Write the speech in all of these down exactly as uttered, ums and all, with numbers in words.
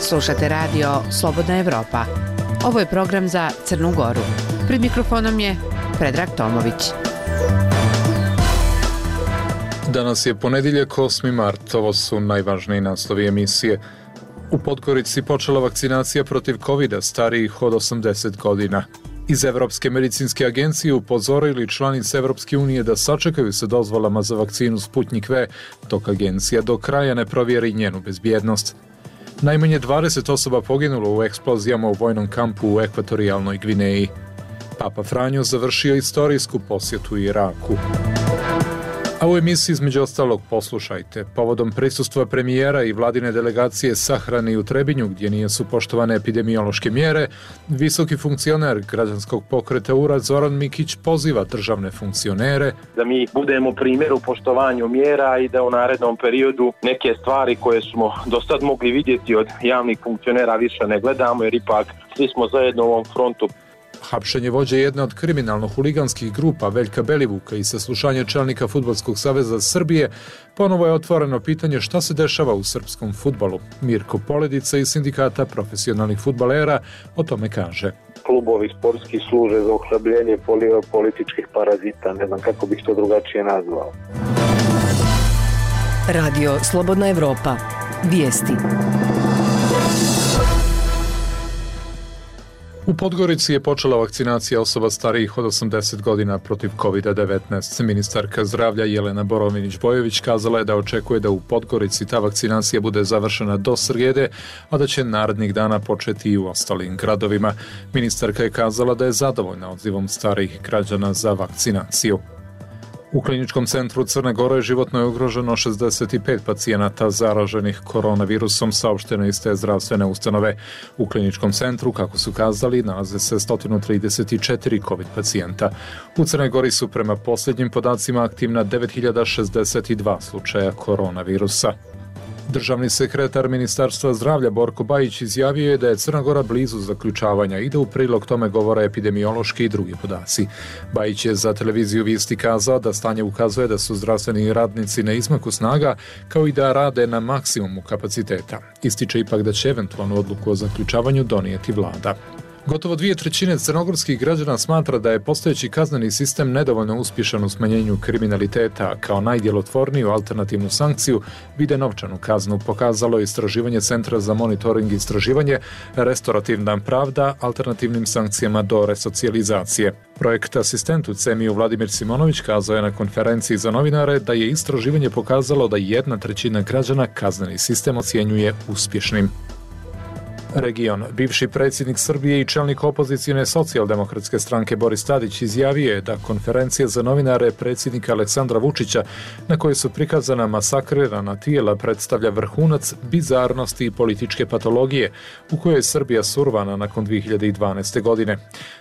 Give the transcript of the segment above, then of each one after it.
Slušate radio Slobodna Evropa. Ovo je program za Crnu Goru. Pred mikrofonom je Predrag Tomović. Danas je ponedjeljak, osmi mart. Ovo su najvažniji naslovi emisije. U Podgorici počela vakcinacija protiv kovida starijih od osamdeset godina. Iz Evropske medicinske agencije upozorili članice Evropske unije da sačekaju sa dozvolama za vakcinu Sputnik V, dok agencija do kraja ne provjeri njenu bezbjednost. Najmanje dvadeset osoba poginulo u eksplozijama u vojnom kampu u Ekvatorijalnoj Gvineji. Papa Franjo završio istorijsku posjetu Iraku. A u emisiji između ostalog poslušajte. Povodom prisustva premijera i vladine delegacije sahrani u Trebinju, gdje nisu poštovane epidemiološke mjere, visoki funkcioner građanskog pokreta U R A Zoran Mikić poziva državne funkcionere da mi budemo primjer u poštovanju mjera i da u narednom periodu neke stvari koje smo do sad mogli vidjeti od javnih funkcionera više ne gledamo, jer ipak svi smo zajedno u ovom frontu. Hapšenje vođe jedne od kriminalno-huliganskih grupa Veljka Belivuka i saslušanje čelnika Fudbalskog saveza Srbije ponovo je otvoreno pitanje šta se dešava u srpskom fudbalu. Mirko Poledica iz Sindikata profesionalnih fudbalera o tome kaže. Klubovi sportski služe za ohlabljenje političkih parazita, ne znam kako bih to drugačije nazvao. Radio Slobodna Evropa. Vijesti. U Podgorici je počela vakcinacija osoba starijih od osamdeset godina protiv kovida devetnaest. Ministarka zdravlja Jelena Borovinić-Bojović kazala je da očekuje da u Podgorici ta vakcinacija bude završena do srijede, a da će narednih dana početi i u ostalim gradovima. Ministarka je kazala da je zadovoljna odzivom starijih građana za vakcinaciju. U Kliničkom centru Crne Gore životno je ugroženo šezdeset pet pacijenata zaraženih koronavirusom, saopšteno iz te zdravstvene ustanove. U Kliničkom centru, kako su kazali, nalaze se sto trideset četiri COVID pacijenta. U Crnoj Gori su prema posljednjim podacima aktivna devet hiljada šezdeset dva slučaja koronavirusa. Državni sekretar Ministarstva zdravlja Borko Bajić izjavio je da je Crna Gora blizu zaključavanja i da u prilog tome govore epidemiološki i drugi podaci. Bajić je za televiziju Vijesti kazao da stanje ukazuje da su zdravstveni radnici na izmaku snaga, kao i da rade na maksimumu kapaciteta. Ističe ipak da će eventualnu odluku o zaključavanju donijeti vlada. Gotovo dvije trećine crnogorskih građana smatra da je postojeći kazneni sistem nedovoljno uspješan u smanjenju kriminaliteta, a kao najdjelotvorniju alternativnu sankciju vide novčanu kaznu, pokazalo istraživanje Centra za monitoring i istraživanje Restorativna pravda alternativnim sankcijama do resocijalizacije. Projekt asistent u CEMI-u Vladimir Simonović kazao je na konferenciji za novinare da je istraživanje pokazalo da jedna trećina građana kazneni sistem ocjenjuje uspješnim. Region. Bivši predsjednik Srbije i čelnik opozicijne socijaldemokratske stranke Boris Tadić izjavio je da konferencija za novinare predsjednika Aleksandra Vučića, na kojoj su prikazana masakrirana tijela, predstavlja vrhunac bizarnosti i političke patologije u kojoj je Srbija survana nakon dvije hiljade dvanaeste. godine.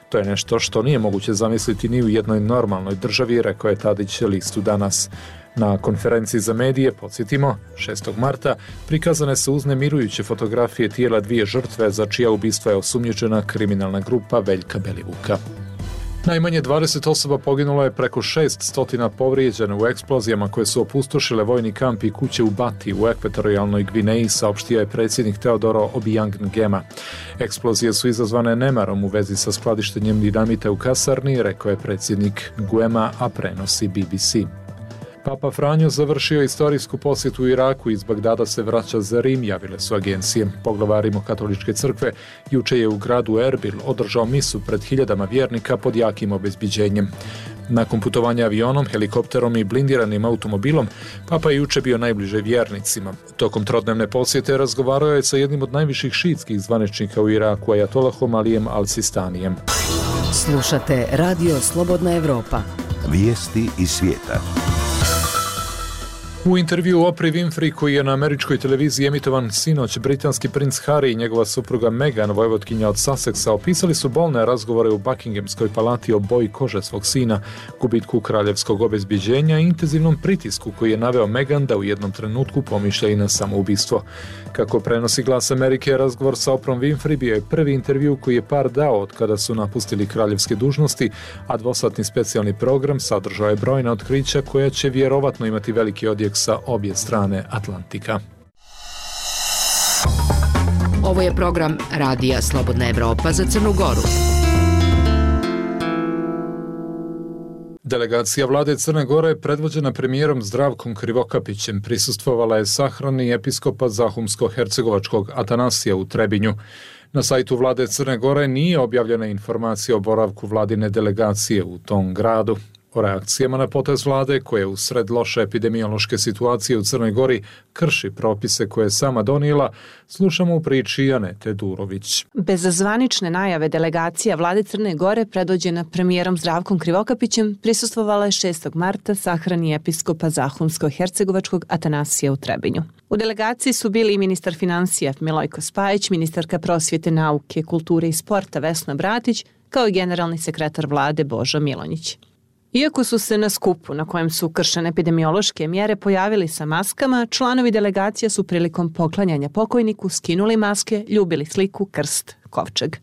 To je nešto što nije moguće zamisliti ni u jednoj normalnoj državi, rekao je Tadić listu Danas. Na konferenciji za medije, podsjetimo, šestog marta, prikazane su uznemirujuće fotografije tijela dvije žrtve za čija ubistva je osumnjičena kriminalna grupa Veljka Belivuka. Najmanje dvadeset osoba poginulo je, preko šesnaest povrijeđeno u eksplozijama koje su opustošile vojni kamp i kuće u Bati u Ekvatorijalnoj Gvineji, saopštio je predsjednik Teodoro Obiang Nguema. Eksplozije su izazvane nemarom u vezi sa skladištenjem dinamita u kasarni, rekao je predsjednik Nguema, a prenosi B B C. Papa Franjo završio istorijsku posjetu u Iraku i iz Bagdada se vraća za Rim, javile su agencije. Poglavar Rimokatoličke crkve juče je u gradu Erbil održao misu pred hiljadama vjernika pod jakim obezbiđenjem. Nakon putovanja avionom, helikopterom i blindiranim automobilom, Papa je juče bio najbliže vjernicima. Tokom trodnevne posjete razgovarao je sa jednim od najviših šiitskih zvaničnika u Iraku, Ajatolahom Alijem Al-Sistanijem. Slušate Radio Slobodna Evropa. Vijesti iz svijeta. U intervju Oprah Winfrey koji je na američkoj televiziji emitovan sinoć, britanski princ Harry i njegova supruga Meghan, vojvotkinja od Sussexa, opisali su bolne razgovore u Buckinghamskoj palati o boji kože svog sina, gubitku kraljevskog obezbjeđenja i intenzivnom pritisku koji je naveo Meghan da u jednom trenutku pomišlja i na samoubistvo. Kako prenosi Glas Amerike, razgovor sa Oprahom Winfrey bio je prvi intervju koji je par dao od kada su napustili kraljevske dužnosti, a dvosatni specijalni program sadržao je brojna otkrića koja će vjerovatno imati veliki odjek sa obje strane Atlantika. Ovo je program Radija Slobodna Evropa za Crnu Goru. Delegacija vlade Crne Gore, predvođena premijerom Zdravkom Krivokapićem, prisustvovala je sahrani episkopa Zahumsko-hercegovačkog Atanasija u Trebinju. Na sajtu vlade Crne Gore nije objavljena informacija o boravku vladine delegacije u tom gradu. O reakcijama na potez vlade, koje u sred loše epidemiološke situacije u Crnoj Gori krši propise koje je sama donijela, slušamo u priči Anete Durović. Bez zvanične najave delegacija vlade Crne Gore, predvođena premijerom Zdravkom Krivokapićem, prisustvovala je šestog marta sahrani episkopa Zahumsko-hercegovačkog Atanasija u Trebinju. U delegaciji su bili i ministar financija Milojko Spajić, ministarka prosvjete, nauke, kulture i sporta Vesna Bratić, kao i generalni sekretar vlade Božo Milonjić. Iako su se na skupu na kojem su kršene epidemiološke mjere pojavili sa maskama, članovi delegacija su prilikom poklanjanja pokojniku skinuli maske, ljubili sliku, krst, kovčeg.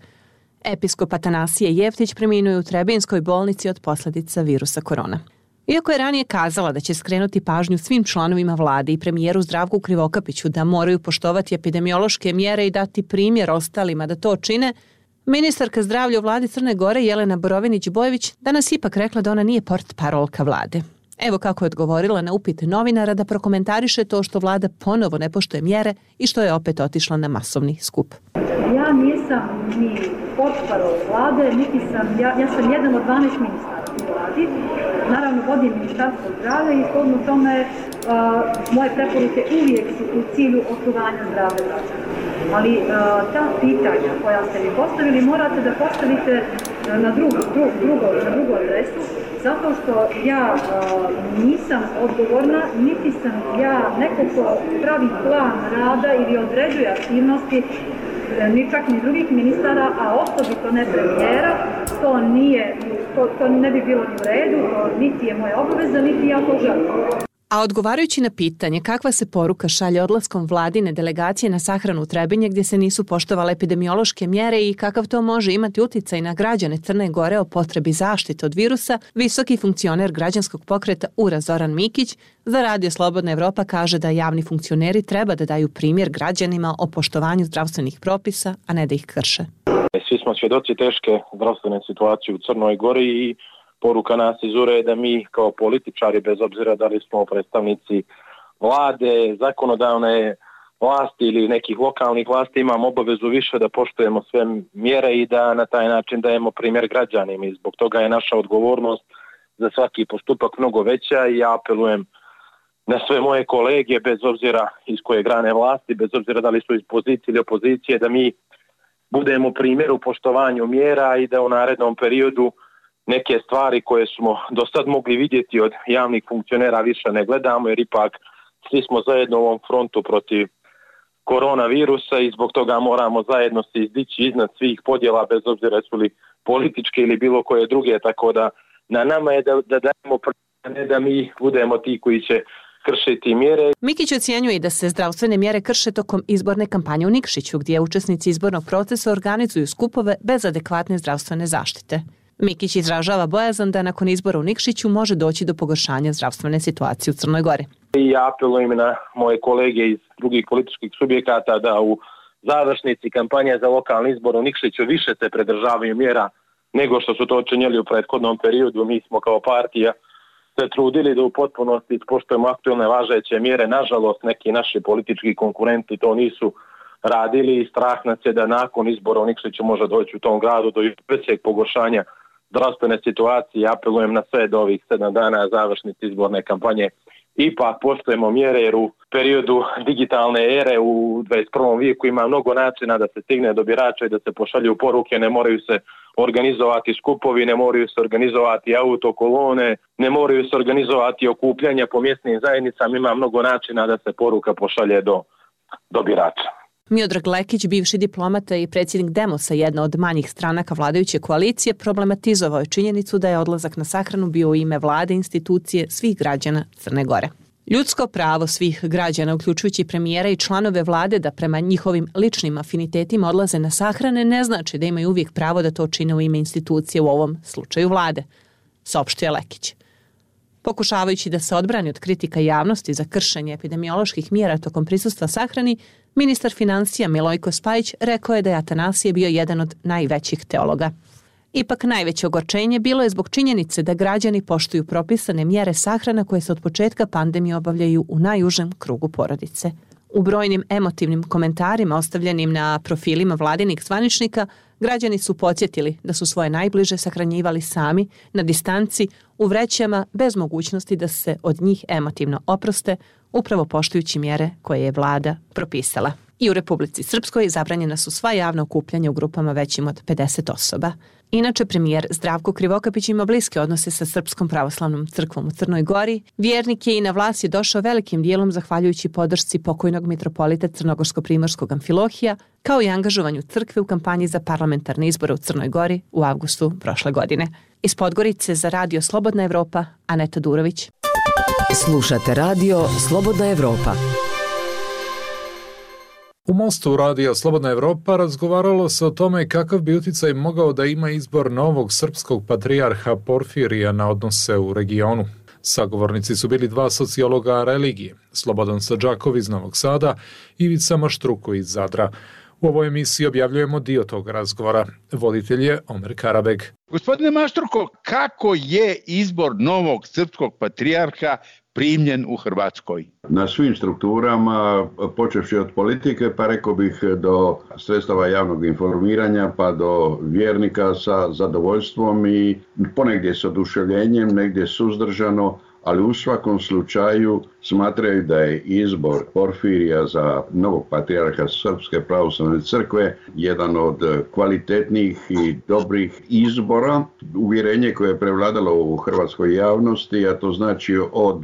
Episkop Atanasije Jeftić preminuo je u Trebinskoj bolnici od posljedica virusa korona. Iako je ranije kazala da će skrenuti pažnju svim članovima vlade i premijeru Zdravku Krivokapiću da moraju poštovati epidemiološke mjere i dati primjer ostalima da to čine, ministarka zdravlja u vladi Crne Gore Jelena Borovinić-Bojević danas ipak rekla da ona nije portparolka vlade. Evo kako je odgovorila na upite novinara da prokomentariše to što vlada ponovo ne poštuje mjere i što je opet otišla na masovni skup. Ja nisam ni portparol vlade, niti sam, ja, ja sam jedan od dvanaest ministara u vladi. Naravno vodim ministarstvo zdravlja i shodno tome uh, moje preporuke uvijek su u cilju očuvanja zdravlja građana. Ali uh, ta pitanja koja ste mi postavili morate da postavite na drugu, drugu, drugu, na drugu adresu, zato što ja uh, nisam odgovorna, niti sam ja neko ko pravi plan rada ili određuje aktivnosti, ni čak ni drugih ministara, a osobito ne premijera. To nije, to, to ne bi bilo ni u redu, niti je moja obaveza, niti ja to želim. A odgovarajući na pitanje kakva se poruka šalje odlaskom vladine delegacije na sahranu u Trebinje gdje se nisu poštovale epidemiološke mjere i kakav to može imati utjecaj na građane Crne Gore o potrebi zaštite od virusa, visoki funkcioner građanskog pokreta U R A Zoran Mikić za Radio Slobodna Evropa kaže da javni funkcioneri treba da daju primjer građanima o poštovanju zdravstvenih propisa, a ne da ih krše. Svi smo svjedoci teške zdravstvene situacije u Crnoj Gori i poruka nas iz U R A je da mi kao političari, bez obzira da li smo predstavnici vlade, zakonodavne vlasti ili nekih lokalnih vlasti, imamo obavezu više da poštujemo sve mjere i da na taj način dajemo primjer građanima. I zbog toga je naša odgovornost za svaki postupak mnogo veća i ja apelujem na sve moje kolege, bez obzira iz koje grane vlasti, bez obzira da li su iz pozicije ili opozicije, da mi budemo primjer u poštovanju mjera i da u narednom periodu neke stvari koje smo do sad mogli vidjeti od javnih funkcionera više ne gledamo, jer ipak svi smo zajedno u ovom frontu protiv koronavirusa i zbog toga moramo zajedno se izdići iznad svih podjela, bez obzira su li političke ili bilo koje druge, tako da na nama je da, da dajemo ne da mi budemo ti koji će kršiti mjere. Mikić ocjenjuje da se zdravstvene mjere krše tokom izborne kampanje u Nikšiću, gdje učesnici izbornog procesa organizuju skupove bez adekvatne zdravstvene zaštite. Mikić izražava bojazan da nakon izbora u Nikšiću može doći do pogoršanja zdravstvene situacije u Crnoj Gori. I ja apelujem na moje kolege iz drugih političkih subjekata da u završnici kampanje za lokalni izbor u Nikšiću više se pridržavaju mjera nego što su to činjeli u prethodnom periodu. Mi smo kao partija se trudili da u potpunosti ispoštujemo aktualne važeće mjere. Nažalost, neki naši politički konkurenti to nisu radili i strah nas je da nakon izbora u Nikšiću može doći u tom gradu do većeg pogoršanja zdravstvene situacije. Apelujem na sve do ovih sedam dana završnice izborne kampanje. Ipak poštujemo mjere jer u periodu digitalne ere u dvadeset prvom vijeku ima mnogo načina da se stigne do birača i da se pošalju poruke, ne moraju se organizovati skupovi, ne moraju se organizovati autokolone, ne moraju se organizovati okupljanja po mjesnim zajednicama, ima mnogo načina da se poruka pošalje do, do birača. Miodrag Lekić, bivši diplomata i predsjednik Demosa, jedna od manjih stranaka vladajuće koalicije, problematizovao je činjenicu da je odlazak na sahranu bio u ime vlade, institucije, svih građana Crne Gore. Ljudsko pravo svih građana, uključujući premijera i članove vlade da prema njihovim ličnim afinitetima odlaze na sahrane, ne znači da imaju uvijek pravo da to čine u ime institucije, u ovom slučaju vlade, saopštio Lekić. Pokušavajući da se odbrani od kritika javnosti za kršenje epidemioloških mjera tokom prisustva sahrani, ministar financija Milojko Spajić rekao je da je Atanasije bio jedan od najvećih teologa. Ipak najveće ogorčenje bilo je zbog činjenice da građani poštuju propisane mjere sahrana koje se od početka pandemije obavljaju u najužem krugu porodice. U brojnim emotivnim komentarima ostavljenim na profilima vladinih zvaničnika, građani su podsjetili da su svoje najbliže sahranjivali sami, na distanci, u vrećama, bez mogućnosti da se od njih emotivno oproste, upravo poštujući mjere koje je vlada propisala. I u Republici Srpskoj zabranjena su sva javna okupljanja u grupama većim od pedeset osoba. Inače, premijer Zdravko Krivokapić ima bliske odnose sa Srpskom pravoslavnom crkvom u Crnoj Gori. Vjernik je i na vlast je došao velikim dijelom zahvaljujući podršci pokojnog mitropolita Crnogorsko-primorskog Amfilohija, kao i angažovanju crkve u kampanji za parlamentarne izbore u Crnoj Gori u avgustu prošle godine. Iz Podgorice za Radio Slobodna Evropa, Aneta Durović. Slušate Radio Slobodna Evropa. U Mostu radija Slobodna Evropa razgovaralo se o tome kakav bi utjecaj mogao da ima izbor novog srpskog patrijarha Porfirija na odnose u regionu. Sagovornici su bili dva sociologa religije, Slobodan Sadžakov iz Novog Sada i Ivica Maštruko iz Zadra. U ovoj emisiji objavljujemo dio tog razgovora. Voditelj je Omer Karabeg. Gospodine Maštruko, kako je izbor novog srpskog patrijarha primljen u Hrvatskoj? Na svim strukturama, počevši od politike, pa rekao bih do sredstava javnog informiranja, pa do vjernika sa zadovoljstvom i ponegdje s oduševljenjem, negdje suzdržano, ali u svakom slučaju smatraju da je izbor Porfirija za novog patrijarha Srpske pravoslavne crkve jedan od kvalitetnih i dobrih izbora. Uvjerenje koje je prevladalo u hrvatskoj javnosti, a to znači od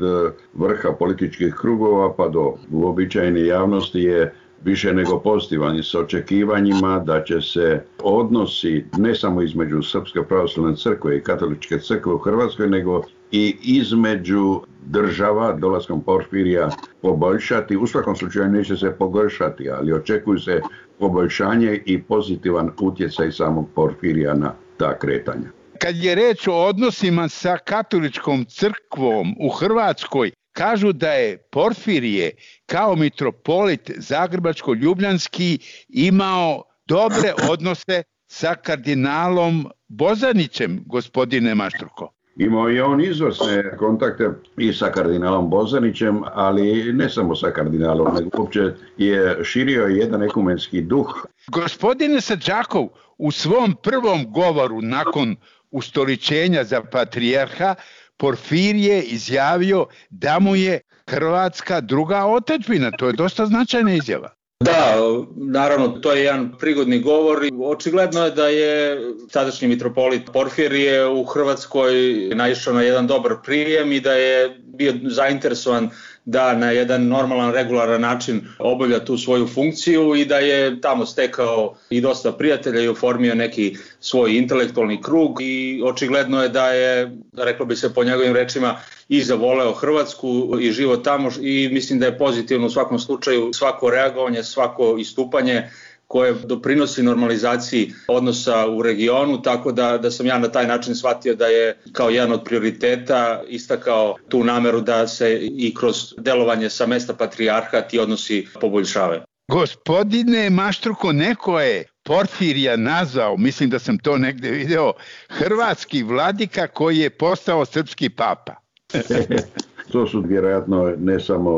vrha političkih krugova pa do uobičajene javnosti, je više nego pozitivan s očekivanjima da će se odnosi ne samo između Srpske pravoslavne crkve i Katoličke crkve u Hrvatskoj, nego i između država dolaskom Porfirija poboljšati. U svakom slučaju neće se pogoršati, ali očekuju se poboljšanje i pozitivan utjecaj samog Porfirija na ta kretanja. Kad je reč o odnosima sa Katoličkom crkvom u Hrvatskoj, kažu da je Porfirije kao mitropolit Zagrebačko-Ljubljanski imao dobre odnose sa kardinalom Bozanićem, gospodine Maštruko. Imao je on izvrsne kontakte i sa kardinalom Bozanićem, ali ne samo sa kardinalom, nego uopće je širio jedan ekumenski duh. Gospodine Sadžakov, u svom prvom govoru nakon ustoličenja za patrijarha, Porfirije izjavio da mu je Hrvatska druga otadžbina. To je dosta značajna izjava. Da, naravno, to je jedan prigodni govor. Očigledno je da je tadašnji mitropolit Porfirije u Hrvatskoj naišao na jedan dobar prijem i da je bio zainteresovan da na jedan normalan, regularan način obavlja tu svoju funkciju i da je tamo stekao i dosta prijatelja i oformio neki svoj intelektualni krug i očigledno je da je, reklo bi se po njegovim rečima, i zavoleo Hrvatsku i život tamo i mislim da je pozitivno u svakom slučaju svako reagovanje, svako istupanje koje doprinosi normalizaciji odnosa u regionu, tako da, da sam ja na taj način shvatio da je kao jedan od prioriteta istakao tu nameru da se i kroz delovanje sa mesta patrijarha ti odnosi poboljšavaju. Gospodine Maštruko, neko je Porfirija nazvao, mislim da sam to negdje video, hrvatski vladika koji je postao srpski papa. To su vjerojatno ne samo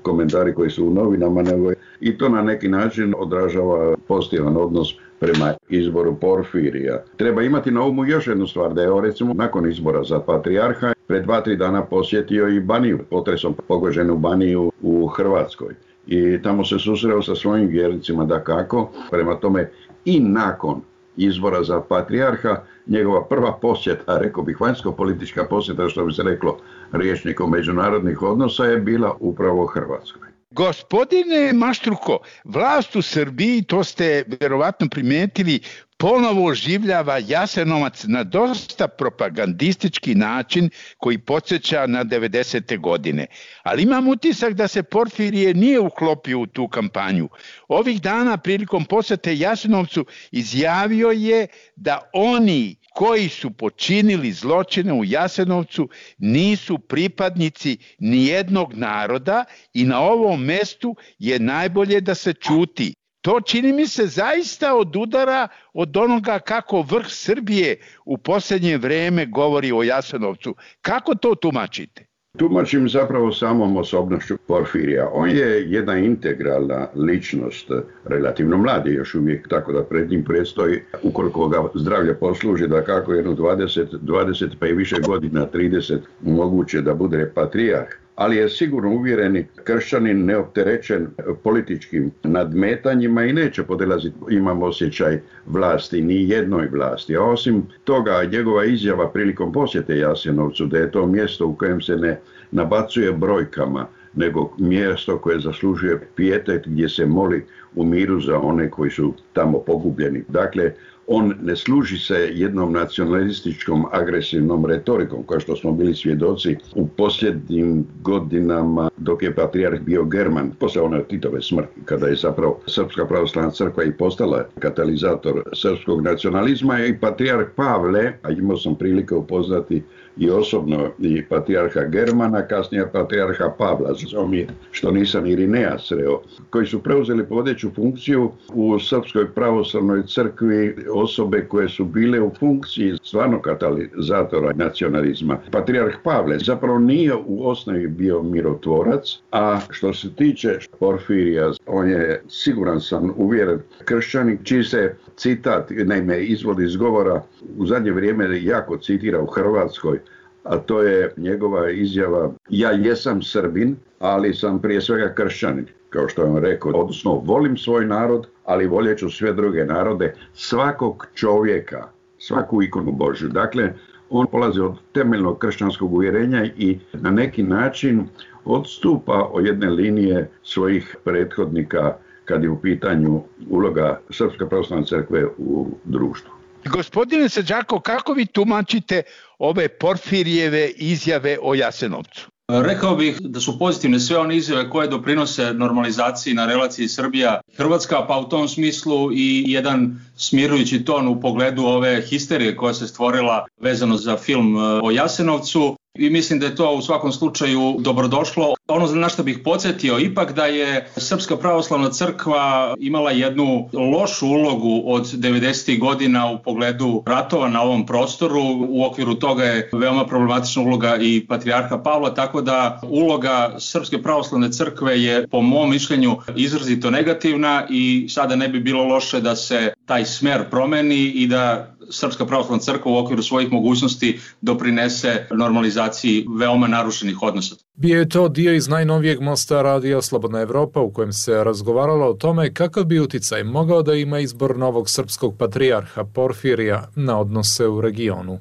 komentari koji su u novinama, nego i to na neki način odražava pozitivan odnos prema izboru Porfirija. Treba imati na umu još jednu stvar, da je recimo nakon izbora za patrijarha pred dva, tri dana posjetio i Baniju, potresom pogođenu Baniju u Hrvatskoj. I tamo se susreo sa svojim vjernicima dakako, prema tome i nakon izbora za patrijarha, njegova prva posjeta, rekao bih vanjsko-politička posjeta, što bi se reklo rječnikom međunarodnih odnosa, je bila upravo Hrvatskoj. Gospodine Maštruko, vlast u Srbiji, to ste vjerovatno primijetili, ponovo oživljava Jasenovac na dosta propagandistički način koji podsjeća na devedesete godine. Ali imam utisak da se Porfirije nije uklopio u tu kampanju. Ovih dana prilikom posjete Jasenovcu izjavio je da oni koji su počinili zločine u Jasenovcu nisu pripadnici nijednog naroda i na ovom mestu je najbolje da se ćuti. To čini mi se zaista odudara od onoga kako vrh Srbije u posljednje vrijeme govori o Jasenovcu. Kako to tumačite? Tumačim zapravo samom osobnošću Porfirija. On je jedna integralna ličnost, relativno mladi još uvijek, tako da pred njim predstoji, ukoliko ga zdravlje posluži, da kako jedno dvadeset, dvadeset pa i više godina, trideset, moguće da bude patrijarh. Ali je sigurno uvjereni kršćanin, neopterećen političkim nadmetanjima i neće podilaziti, imam osjećaj, vlasti, ni jednoj vlasti. A osim toga, njegova izjava prilikom posjete Jasenovcu, da je to mjesto u kojem se ne nabacuje brojkama, nego mjesto koje zaslužuje pijetet, gdje se moli u miru za one koji su tamo pogubljeni. Dakle, on ne služi se jednom nacionalističkom agresivnom retorikom, kao što smo bili svjedoci u posljednjim godinama dok je patrijarh bio German, poslije one Titove smrti, kada je zapravo Srpska pravoslavna crkva i postala katalizator srpskog nacionalizma, i patrijarh Pavle, a imao sam prilike upoznati i osobno i patrijarha Germana, kasnije patrijarha Pavla, žao mi je što nisam Irineja sreo, koji su preuzeli vodeću funkciju u Srpskoj pravoslavnoj crkvi, osobe koje su bile u funkciji stvarno katalizatora nacionalizma. Patrijarh Pavle zapravo nije u osnovi bio mirotvorac, a što se tiče Porfirija, on je, siguran sam, uvjeren kršćanin, čiji se citat, naime, izvod iz govora u zadnje vrijeme jako citira u Hrvatskoj, a to je njegova izjava: ja jesam Srbin, ali sam prije svega kršćanin, kao što je on rekao, odnosno volim svoj narod, ali voljet ću sve druge narode, svakog čovjeka, svaku ikonu Božju. Dakle, on polazi od temeljnog kršćanskog uvjerenja i na neki način odstupa od jedne linije svojih prethodnika kad je u pitanju uloga Srpske pravoslavne crkve u društvu. Gospodine Sađako, kako vi tumačite ove Porfirijeve izjave o Jasenovcu? Rekao bih da su pozitivne sve one izjave koje doprinose normalizaciji na relaciji Srbija-Hrvatska, pa u tom smislu i jedan smirujući ton u pogledu ove histerije koja se stvorila vezano za film o Jasenovcu. I mislim da je to u svakom slučaju dobrodošlo. Ono na što bih podsjetio ipak da je Srpska pravoslavna crkva imala jednu lošu ulogu od devedesetih godina u pogledu ratova na ovom prostoru. U okviru toga je veoma problematična uloga i patrijarha Pavla, tako da uloga Srpske pravoslavne crkve je po mom mišljenju izrazito negativna i sada ne bi bilo loše da se taj smer promeni i da Srpska pravoslavna crkva u okviru svojih mogućnosti doprinese normalizaciji veoma narušenih odnosa. Bio je to dio iz najnovijeg mosta radija Slobodna Evropa u kojem se razgovaralo o tome kakav bi uticaj mogao da ima izbor novog srpskog patrijarha Porfirija na odnose u regionu.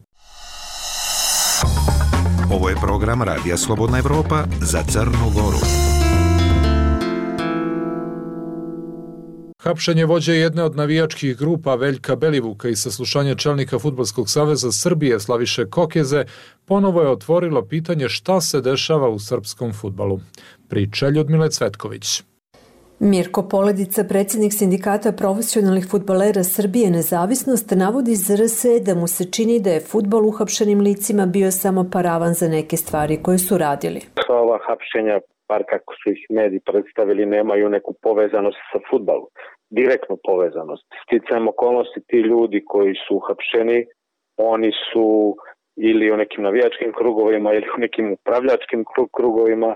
Ovo je program radija Slobodna Evropa za Crnu Goru. Hapšenje vođe jedne od navijačkih grupa Veljka Belivuka i saslušanje čelnika Fudbalskog saveza Srbije Slaviše Kokeze ponovo je otvorilo pitanje šta se dešava u srpskom fudbalu. Priča Ljudmile Cvetković. Mirko Poledica, predsjednik sindikata profesionalnih fudbalera Srbije Nezavisnost, navodi za R S da mu se čini da je fudbal uhapšenim licima bio samo paravan za neke stvari koje su radili. Ova hapšenja, par kako su ih mediji predstavili, nemaju neku povezanost sa fudbalom, direktnu povezanost. Sticajem okolnosti, ti ljudi koji su uhapšeni, oni su ili u nekim navijačkim krugovima ili u nekim upravljačkim krugovima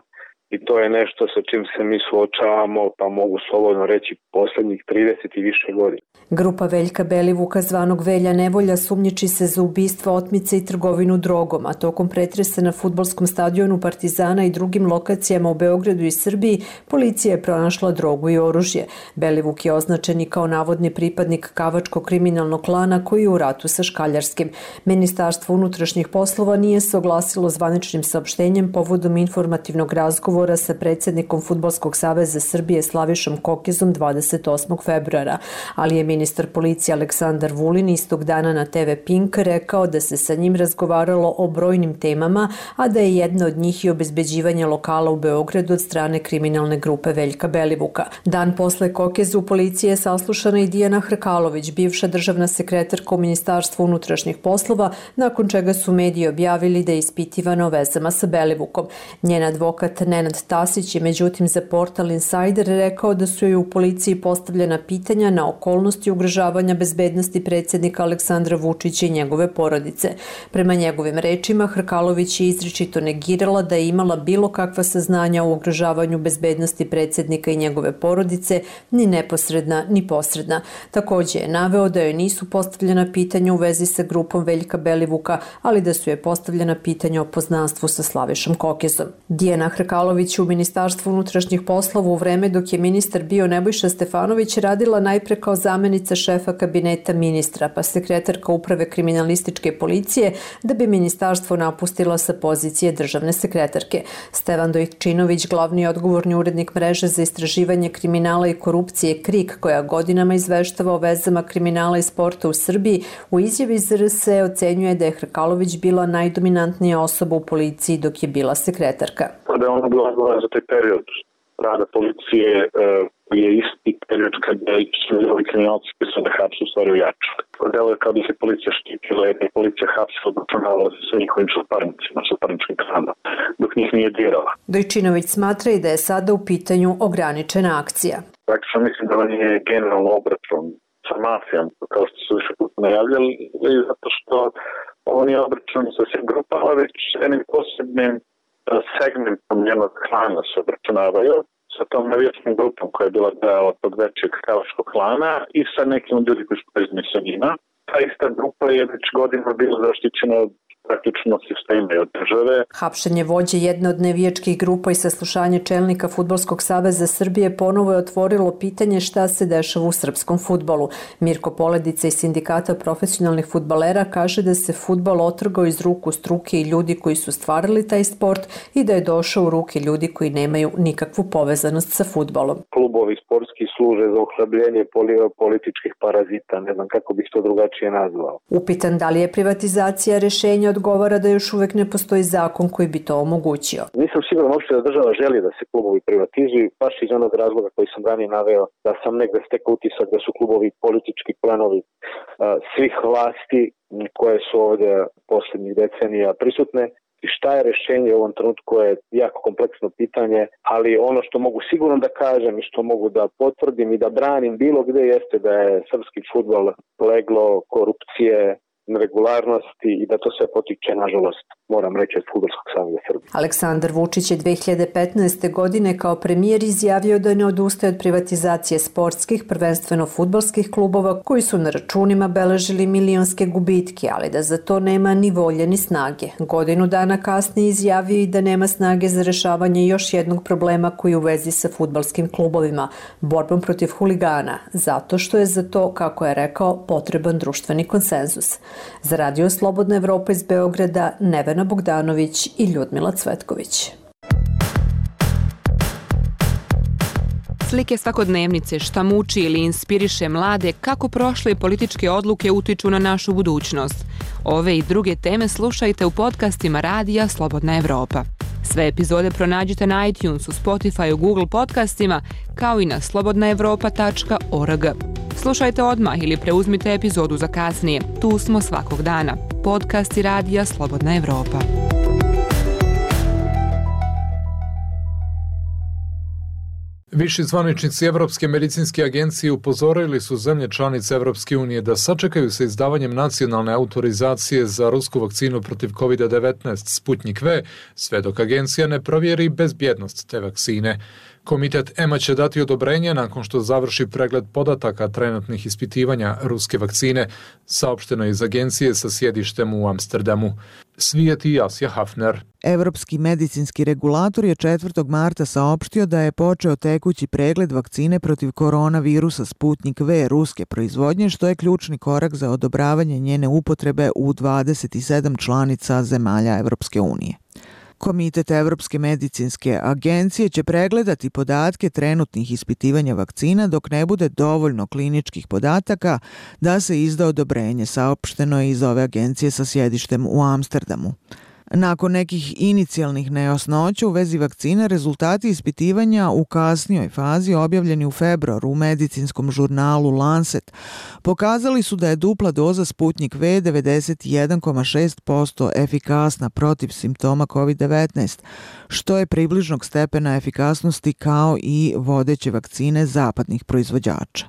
i to je nešto sa čim se mi suočavamo, pa mogu slobodno reći, posljednjih trideset i više godina. Grupa Veljka Belivuka, zvanog Velja Nevolja, sumnjiči se za ubistvo, otmice i trgovinu drogom, a tokom pretresa na fudbalskom stadionu Partizana i drugim lokacijama u Beogradu i Srbiji policija je pronašla drogu i oružje. Belivuk je označen i kao navodni pripadnik kavačkog kriminalnog klana koji je u ratu sa Škaljarskim. Ministarstvo unutrašnjih poslova nije se oglasilo zvaničnim saopštenjem povodom informativnog razgovora sa predsjednikom Fudbalskog saveza Srbije Slavišom Kokizom dvadeset osmog februara, ali je ministar policije Aleksandar Vulin istog dana na te ve Pink rekao da se sa njim razgovaralo o brojnim temama, a da je jedna od njih i obezbeđivanje lokala u Beogradu od strane kriminalne grupe Veljka Belivuka. Dan posle Kokezu u policiji je saslušana i Dijana Hrkalović, bivša državna sekretarka u Ministarstvu unutrašnjih poslova, nakon čega su mediji objavili da je ispitivana o vezama sa Belivukom. Njen advokat Nenad Tasić je međutim za portal Insider rekao da su joj u policiji postavljena pitanja na okolnosti ugrožavanja bezbednosti predsjednika Aleksandra Vučića i njegove porodice. Prema njegovim rečima, Hrkalović je izričito negirala da je imala bilo kakva saznanja o ugrožavanju bezbednosti predsjednika i njegove porodice, ni neposredna, ni posredna. Također je naveo da joj nisu postavljena pitanja u vezi sa grupom Veljka Belivuka, ali da su joj postavljena pitanja o poznanstvu sa Slavišom Kokezom. Dijana Hrkalović u Ministarstvu unutrašnjih poslova u vreme dok je ministar bio Nebojša Stefanović radila najpre kao zamenica šefa kabineta ministra, pa sekretarka uprave kriminalističke policije, da bi ministarstvo napustila sa pozicije državne sekretarke. Stevan Dojčinović, glavni i odgovorni urednik mreže za istraživanje kriminala i korupcije KRIK, koja godinama izveštava o vezama kriminala i sporta u Srbiji, u izjavi za er es ocenjuje da je Hrkalović bila najdominantnija osoba u policiji dok je bila sekretarka. Da je ona bila odgovorna za taj period rada policije, uh, je isti period kada su ovi kriminalci koji su da hapsu u stvari ujaču. Delo je kao da se policija štitila, jer je policija hapsila, obračunavala se sa njihovim suparnicima, suparničkim klanom, dok njih nije dirala. Dojčinović smatra i da je sada u pitanju ograničena akcija. Praktično mislim da on je generalno obračun sa mafijom, kao što su više puta najavljali, zato što on je obračun sa svim grupama, već jednim posebnim segmentom njenog klana se obračunavaju, sa tom navijačkom grupom koja je bila deo tog većeg kavačkog klana i sa nekim ljudi koji su povezani sa njima. Ta ista grupa je već godinama bila zaštićena od praktično sistema i od države. Hapšenje vođe jedne od nevijačkih grupa i saslušanje čelnika Fudbalskog saveza Srbije ponovo je otvorilo pitanje šta se dešava u srpskom fudbalu. Mirko Poledica iz Sindikata profesionalnih fudbalera kaže da se fudbal otrgao iz ruku struke i ljudi koji su stvarali taj sport i da je došao u ruke ljudi koji nemaju nikakvu povezanost sa fudbalom. Klubovi sportski služe za ohlabljenje političkih parazita, ne znam kako bih to drugačije nazvao. Upitan da li je privatizacija rešenja, odgovara da još uvek ne postoji zakon koji bi to omogućio. Nisam siguran uopšte da država želi da se klubovi privatizuju, baš iz onog razloga koji sam ranije naveo, da sam negde stekao utisak da su klubovi politički planovi uh, svih vlasti koje su ovdje posljednjih decenija prisutne. I šta je rešenje u ovom trenutku je jako kompleksno pitanje, ali ono što mogu sigurno da kažem i što mogu da potvrdim i da branim bilo gde jeste da je srpski fudbal leglo korupcije, neregularnosti i da to sve potiče, nažalost, moram reći, od Fudbalskog saveza Srbije. Aleksandar Vučić je dve hiljade petnaeste. godine kao premijer izjavio da ne odustaje od privatizacije sportskih, prvenstveno fudbalskih klubova koji su na računima beležili milionske gubitke, ali da za to nema ni volje ni snage. Godinu dana kasnije izjavio i da nema snage za rešavanje još jednog problema koji je u vezi sa fudbalskim klubovima, borbom protiv huligana, zato što je za to, kako je rekao, potreban društveni konsenzus. Za Radio Slobodna Evropa iz Beograda, Nevena Bogdanović i Ljudmila Cvetković. Slike svakodnevnice, šta muči ili inspiriše mlade, kako prošle političke odluke utiču na našu budućnost. Ove i druge teme slušajte u podcastima Radija Slobodna Evropa. Sve epizode pronađite na iTunesu, Spotify, Google podcastima, kao i na slobodna evropa tačka org. Slušajte odmah ili preuzmite epizodu za kasnije. Tu smo svakog dana. Podcasti Radija Slobodna Evropa. Viši zvaničnici Evropske medicinske agencije upozorili su zemlje članice Evropske unije da sačekaju sa izdavanjem nacionalne autorizacije za rusku vakcinu protiv kovid devetnaest Sputnik V, sve dok agencija ne provjeri bezbjednost te vakcine. Komitet E M A će dati odobrenje nakon što završi pregled podataka trenutnih ispitivanja ruske vakcine, saopšteno iz agencije sa sjedištem u Amsterdamu. Svijeti Jasja Hafner. Evropski medicinski regulator je četvrtog marta saopštio da je počeo tekući pregled vakcine protiv koronavirusa Sputnik V ruske proizvodnje, što je ključni korak za odobravanje njene upotrebe u dvadeset sedam članica zemalja Evropske unije. Komitet Evropske medicinske agencije će pregledati podatke trenutnih ispitivanja vakcina dok ne bude dovoljno kliničkih podataka da se izda odobrenje, saopšteno je iz ove agencije sa sjedištem u Amsterdamu. Nakon nekih inicijalnih nejasnoća u vezi vakcine, rezultati ispitivanja u kasnijoj fazi objavljeni u februaru u medicinskom žurnalu Lancet pokazali su da je dupla doza Sputnik V devedeset jedan zarez šest posto efikasna protiv simptoma kovid devetnaest, što je približnog stepena efikasnosti kao i vodeće vakcine zapadnih proizvođača.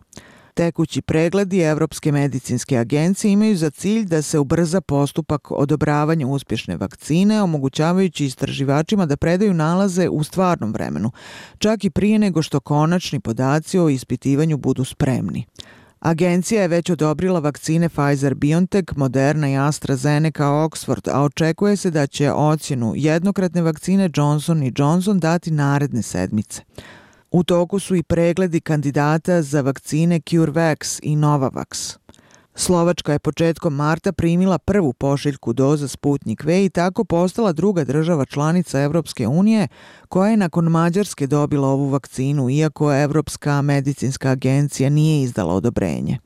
Tekući pregledi Evropske medicinske agencije imaju za cilj da se ubrza postupak odobravanja uspješne vakcine, omogućavajući istraživačima da predaju nalaze u stvarnom vremenu, čak i prije nego što konačni podaci o ispitivanju budu spremni. Agencija je već odobrila vakcine Pfizer-BioNTech, Moderna i AstraZeneca Oxford, a očekuje se da će ocjenu jednokratne vakcine Johnson and Johnson dati naredne sedmice. U toku su i pregledi kandidata za vakcine CureVac i Novavax. Slovačka je početkom marta primila prvu pošiljku doza Sputnik V i tako postala druga država članica Evropske unije koja je nakon Mađarske dobila ovu vakcinu, iako Evropska medicinska agencija nije izdala odobrenje.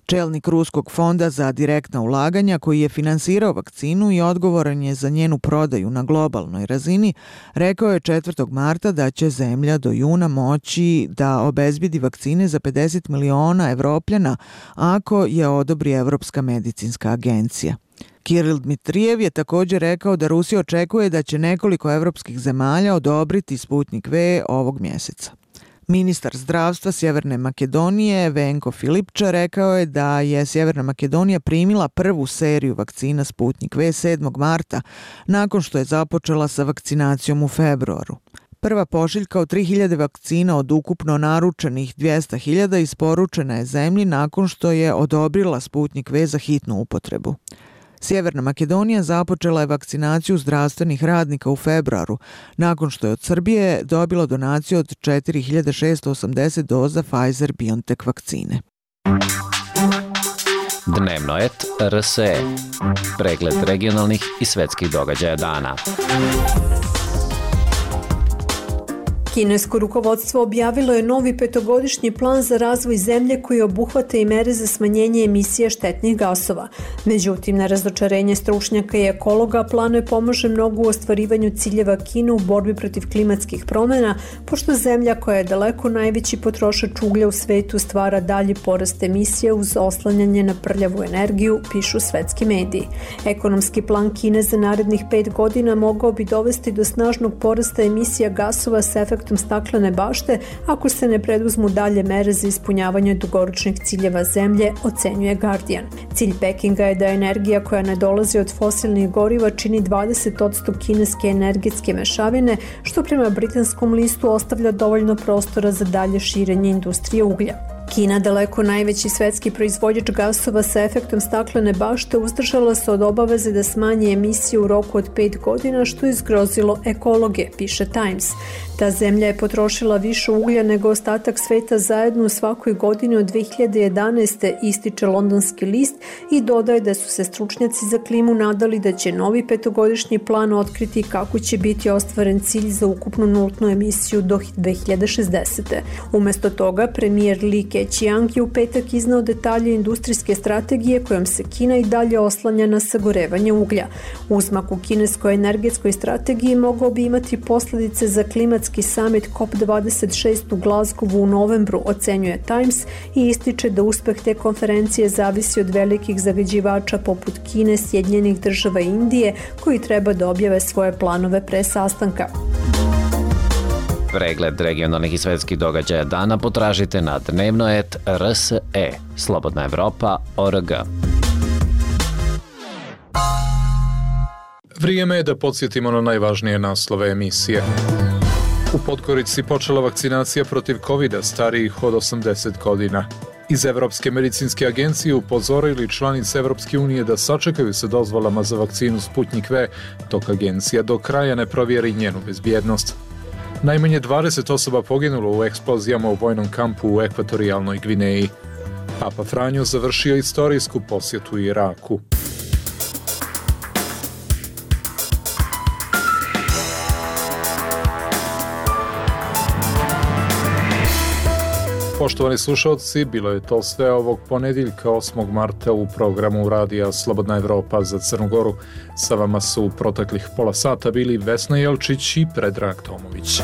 Čelnik Ruskog fonda za direktna ulaganja, koji je finansirao vakcinu i odgovoran je za njenu prodaju na globalnoj razini, rekao je četvrtog marta da će zemlja do juna moći da obezbedi vakcine za pedeset miliona Evropljana ako je odobri Evropska medicinska agencija. Kiril Dmitrijev je također rekao da Rusija očekuje da će nekoliko evropskih zemalja odobriti Sputnik V ovog mjeseca. Ministar zdravstva Sjeverne Makedonije Venko Filipča rekao je da je Sjeverna Makedonija primila prvu seriju vakcina Sputnik V sedmog marta nakon što je započela sa vakcinacijom u februaru. Prva pošiljka od tri hiljade vakcina od ukupno naručenih dvjesto hiljada isporučena je zemlji nakon što je odobrila Sputnik V za hitnu upotrebu. Sjeverna Makedonija započela je vakcinaciju zdravstvenih radnika u februaru, nakon što je od Srbije dobila donaciju od četiri hiljade šesto osamdeset doza Pfizer-BioNTech vakcine. Dnevno et R S E. Pregled regionalnih i svetskih događaja dana. Kinesko rukovodstvo objavilo je novi petogodišnji plan za razvoj zemlje koji obuhvata i mere za smanjenje emisije štetnih gasova. Međutim, na razočarenje stručnjaka i ekologa, plan ne pomaže mnogo u ostvarivanju ciljeva Kine u borbi protiv klimatskih promjena, pošto zemlja koja je daleko najveći potrošač uglja u svetu stvara dalji porast emisije uz oslanjanje na prljavu energiju, pišu svetski mediji. Ekonomski plan Kine za narednih pet godina mogao bi dovesti do snažnog porasta emisija gasova s efektom staklene bašte ako se ne preduzmu dalje mere za ispunjavanje dugoročnih ciljeva zemlje, ocenjuje Guardian. Cilj Pekinga je da energija koja ne dolazi od fosilnih goriva čini dvadeset posto kineske energetske mešavine, što prema britanskom listu ostavlja dovoljno prostora za dalje širenje industrije uglja. Kina, daleko najveći svetski proizvođač gasova sa efektom staklene bašte, uzdržala se od obaveze da smanji emisije u roku od pet godina, što je zgrozilo ekologe, piše Times. Ta zemlja je potrošila više uglja nego ostatak sveta zajedno u svakoj godini od dve hiljade jedanaeste. ističe londonski list i dodaje da su se stručnjaci za klimu nadali da će novi petogodišnji plan otkriti kako će biti ostvaren cilj za ukupnu nultnu emisiju do dve hiljade šezdesete. Umesto toga, premijer Li Keqiang je u petak iznao detalje industrijske strategije kojom se Kina i dalje oslanja na sagorevanje uglja. Uzmak u kineskoj energetskoj strategiji mogao bi imati posljedice za klimatski summit C O P dvadeset šest u Glasgowu u novembru, ocenjuje Times i ističe da uspeh te konferencije zavisi od velikih zagađivača poput Kine, Sjedinjenih država i Indije, koji treba da objave svoje planove pre sastanka. Pregled regionalnih i svetskih događaja dana potražite na dnevnoet R S E, Slobodna Evropa, O R G. Vrijeme je da podsjetimo na najvažnije naslove emisije. U Podgorici počela vakcinacija protiv kovida starijih od osamdeset godina. Iz Evropske medicinske agencije upozorili članice Evropske unije da sačekaju se dozvolama za vakcinu Sputnik V, dok agencija do kraja ne provjeri njenu bezbjednost. Najmanje dvadeset osoba poginulo u eksplozijama u vojnom kampu u Ekvatorijalnoj Gvineji. Papa Franjo završio istorijsku posjetu Iraku. Poštovani slušalci, bilo je to sve ovog ponedjeljka osmog marta u programu Radija Slobodna Evropa za Crnu Goru. Sa vama su u proteklih pola sata bili Vesna Jelčić i Predrag Tomović.